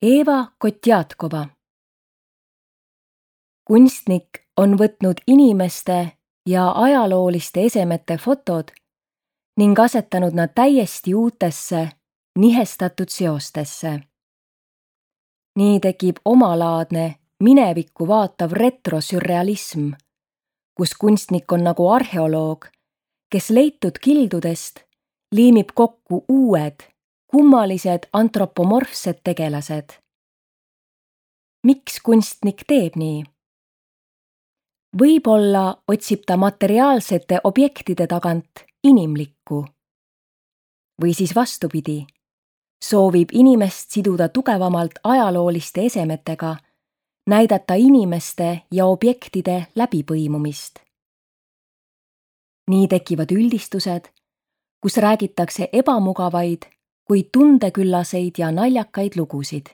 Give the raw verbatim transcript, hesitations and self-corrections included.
Eva Kotjatkova. Kunstnik on võtnud inimeste ja ajalooliste esemete fotod ning asetanud nad täiesti uutesse, nihestatud seostesse. Nii tekib omalaadne, minevikku vaatav retrosürrealism, kus kunstnik on nagu arheoloog, kes leitud kildudest liimib kokku uued, kummalised antropomorfsed tegelased. Miks kunstnik teeb nii? Võib-olla otsib ta materiaalsete objektide tagant inimlikku. Või siis vastupidi, soovib inimest siduda tugevamalt ajalooliste esemetega, näidata inimeste ja objektide läbipõimumist. Nii tekivad üldistused, kus räägitakse ebamugavaid, kuid tundeküllaseid ja naljakaid lugusid.